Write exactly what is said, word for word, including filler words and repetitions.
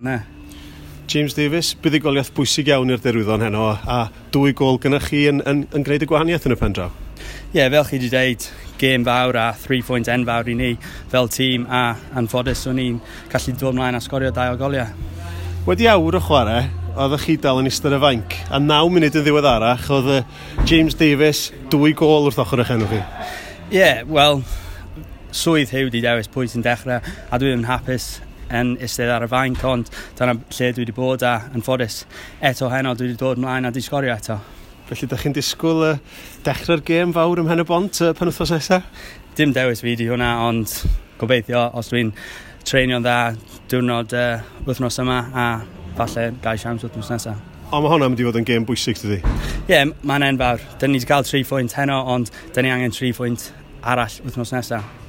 Ne. James Davies, buddugoliaeth bwysig iawn i'r Derwyddon heno a dwy gôl gyda chi yn, yn, yn gwneud y gwahaniaeth yn y pen draw. Ie, yeah, fel chi wedi dweud, gêm fawr a three point enfawr i ni fel tîm a anffodus o'n i'n gallu dod mlaen a sgorio dau o goliau. Wedi awr o chwarae, oeddech chi dal yn eistedd y fainc, a naw munud yn ddiweddarach oedd James Davies dwy gôl wrth ochr eich enw chi. Ie, yeah, wel, swydd Huw di dewis pwy sy'n dechrau a dwi ddim yn hapus yn eistedd ar y fainc, ond dyna lle dwi wedi bod a anffodus eto heno dwi wedi dod mlaen a di sgorio eto. Felly, ydych chi'n disgwyl uh, dechrau'r gêm fawr ym Mhen y Bont uh, penwythnos nesaf? Dim dewis fi di hwnna, ond gobeithio os dwi'n treinio'n dda diwrnod uh, wythnos yma a falle gai siawns wythnos nesaf. Ond mae hwnna'n mynd i fod yn gêm bwysig, dydy? Ie, yeah, mae'n enfawr. Dyn ni wedi cael tri phwynt heno, ond dyn ni angen tri phwynt arall wythnos nesaf.